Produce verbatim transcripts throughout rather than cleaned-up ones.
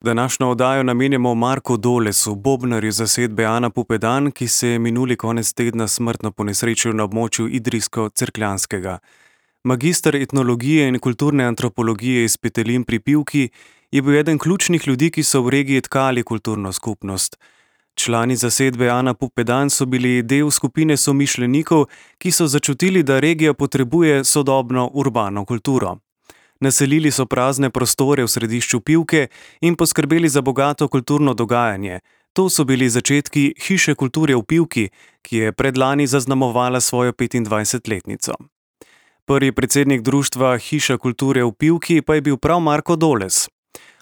Današnjo oddajo namenjamo Marku Dolesu, bobnarju zasedbe Ana Pupedan, ki se je minuli konec tedna smrtno ponesrečil na območju Idrijsko-Cerkljanskega. Magister etnologije in kulturne antropologije iz Petelin pri Pivki je bil eden ključnih ljudi, ki so v regiji tkali kulturno skupnost. Člani zasedbe Ana Pupedan so bili del skupine somišljenikov, ki so začutili, da regija potrebuje sodobno urbano kulturo. Naselili so prazne prostore v središču Pivke in poskrbeli za bogato kulturno dogajanje. To so bili začetki Hiše kulture v Pivki, ki je predlani zaznamovala svojo petindvajsetletnico. Prvi predsednik društva Hiša kulture v Pivki pa je bil prav Marko Doles.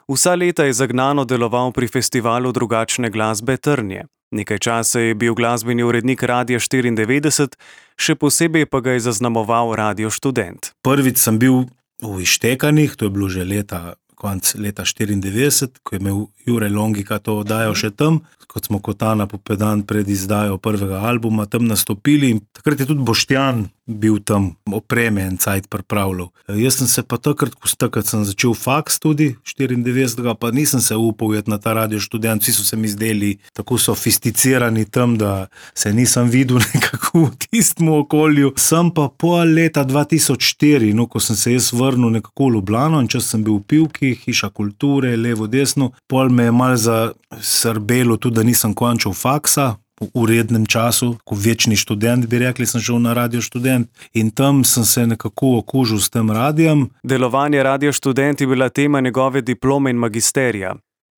Vsa leta je zagnano deloval pri festivalu drugačne glasbe Trnje. Nekaj časa je bil glasbeni urednik Radia štiriindevetdeset, še posebej pa ga je zaznamoval Radio Študent. Prvič sem bil v Ištekanih, to je bilo že leta, konec leta štiriindevetdeset, ko je imel Jure Longika to oddajo še tam, kot smo kot Ana Pupedan pred izdajo prvega albuma tam nastopili in takrat je tudi Boštjan bil tam opreme en cajt pripravljal. Jaz sem se pa takrat, ko takrat sem začel faks tudi, štiriindevetdesetega, pa nisem se upal jet na ta Radio Študent, vsi so se mi zdeli tako sofisticirani tam, da se nisem videl nekako v tistem okolju. Sem pa pol leta dva tisoč štiri, no, ko sem se jaz vrnil nekako v Ljubljano in čas sem bil v Pivki, Hiša kulture, levo, desno, pol me je malo zasrbelo tudi, da nisem končal faksa, v urednem času, ko večni študent, bi rekli, sem šel na Radio Študent in tam sem se nekako okužil s tem radijem. Delovanje Radio Študent je bila tema njegove diplome in magisterija.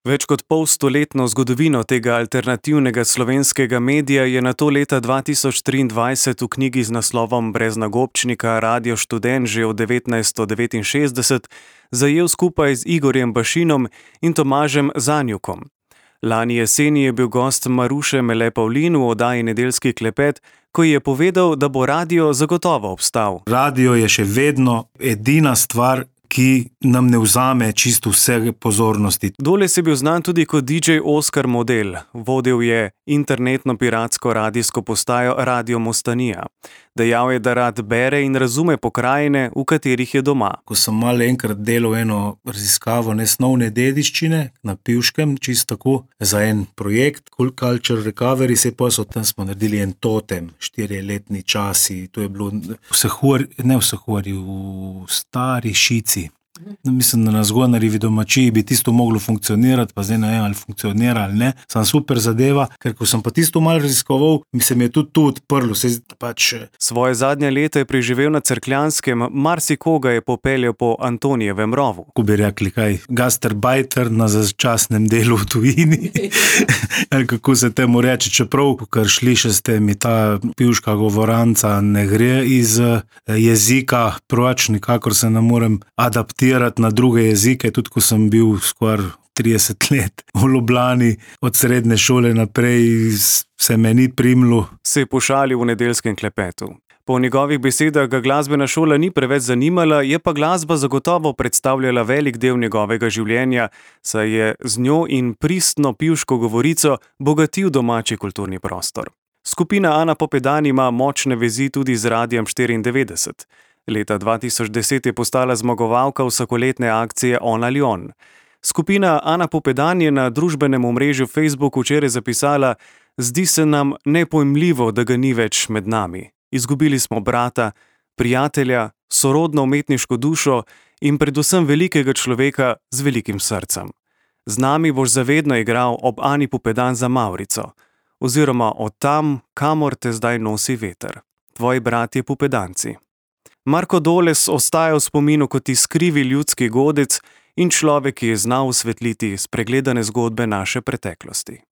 Več kot polstoletno zgodovino tega alternativnega slovenskega medija je nato leta dva tisoč triindvajset v knjigi z naslovom Brez nagobčnika Radio Študent že od devetnajststo devetinšestdeset zajel skupaj z Igorjem Bašinom in Tomažem Zanjukom. Lani jeseni je bil gost Maruše Mele Pavlin v oddaji Nedeljski klepet, ko je povedal, da bo radio zagotovo obstal. Radio je še vedno edina stvar, ki nam ne vzame čisto vse pozornosti. Doles je bil znan tudi kot D J Oskar Model. Vodil je internetno piratsko radijsko postajo Radio Mostanija. Dejal je, da rad bere in razume pokrajine, v katerih je doma. Ko sem malo enkrat delal eno raziskavo nesnovne dediščine na Pivškem, čisto tako, za en projekt, Cool Culture Recovery, se pa so tam smo naredili en totem, štiriletni časi, to je bilo v Sahori, ne v Sahori, v Stari Šici. Mislim, da na Zgonarjevi domačiji bi tisto moglo funkcionirati, pa zdaj ne vem, ali funkcionira ali ne. Sam super zadeva, ker ko sem pa tisto malo raziskoval, mi se mi je tudi tu odprlo. Se pač... Svoje zadnje leta je preživel na Cerkljanskem, marsikoga je popeljal po Antonijevem rovu. Ko bi rekli, kaj, gastarbajter na začasnem delu v tujini, kako se temu reče, čeprav, kar sliši ste mi, ta pivška govoranca ne gre iz jezika, proč nikakor se ne morem adaptirati na druge jezike, tudi ko sem bil skoraj trideset let v Ljubljani, od srednje šole naprej se me ni primlo. Se je pošalil v Nedeljskem klepetu. Po njegovih besedah ga glasbena šola ni preveč zanimala, je pa glasba zagotovo predstavljala velik del njegovega življenja, saj je z njo in pristno pivško govorico bogatil domači kulturni prostor. Skupina Ana Pupedan ima močne vezi tudi z Radiem štiriindevetdeset. Leta dva tisoč deset je postala zmagovalka vsakoletne akcije On ali On. Skupina Ana Pupedan je na družbenem omrežju Facebook včeraj zapisala: "Zdi se nam nepojmljivo, da ga ni več med nami. Izgubili smo brata, prijatelja, sorodno umetniško dušo in predvsem velikega človeka z velikim srcem. Z nami boš zavedno igral ob Ani Pupedan za Mavrico, oziroma od tam, kamor te zdaj nosi veter. Tvoji bratje Pupedanci." Marko Doles ostaja v spominu kot iskrivi ljudski godec in človek, ki je znal osvetliti spregledane zgodbe naše preteklosti.